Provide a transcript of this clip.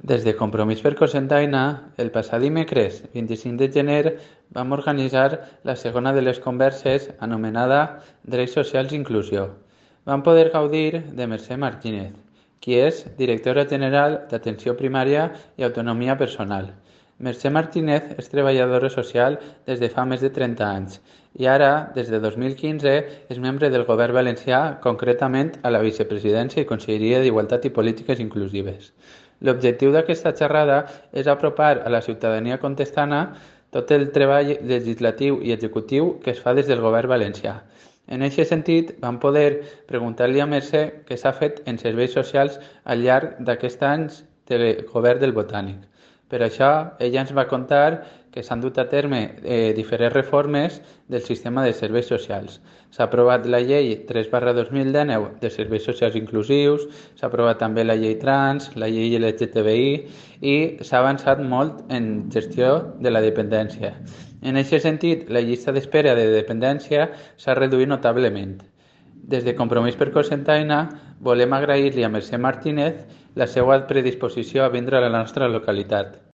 Des de Compromís per Cocentaina, el passat dimecres 25 de gener vam organitzar la segona de les converses anomenada Drets Socials i Inclusió. Vam poder gaudir de Mercè Martínez, qui és directora general d'Atenció Primària i Autonomia Personal. Mercè Martínez és treballadora social des de fa més de 30 anys i ara, des de 2015, és membre del Govern Valencià, concretament a la Vicepresidència i Conselleria d'Igualtat i Polítiques Inclusives. L'objectiu d'aquesta xerrada és apropar a la ciutadania contestana tot el treball legislatiu i executiu que es fa des del Govern valencià. En aquest sentit, vam poder preguntar-li a Mercè què s'ha fet en serveis socials al llarg d'aquests anys del Govern del Botànic. Per això, ella ens va contar que s'han dut a terme diferents reformes del sistema de serveis socials. S'ha aprovat la llei 3/2019 de serveis socials inclusius, s'ha aprovat també la llei trans, la llei LGTBI i s'ha avançat molt en gestió de la dependència. En aquest sentit, la llista d'espera de dependència s'ha reduït notablement. Des de Compromís per Cocentaina volem agrair-li a Mercè Martínez la seva predisposició a vindre a la nostra localitat.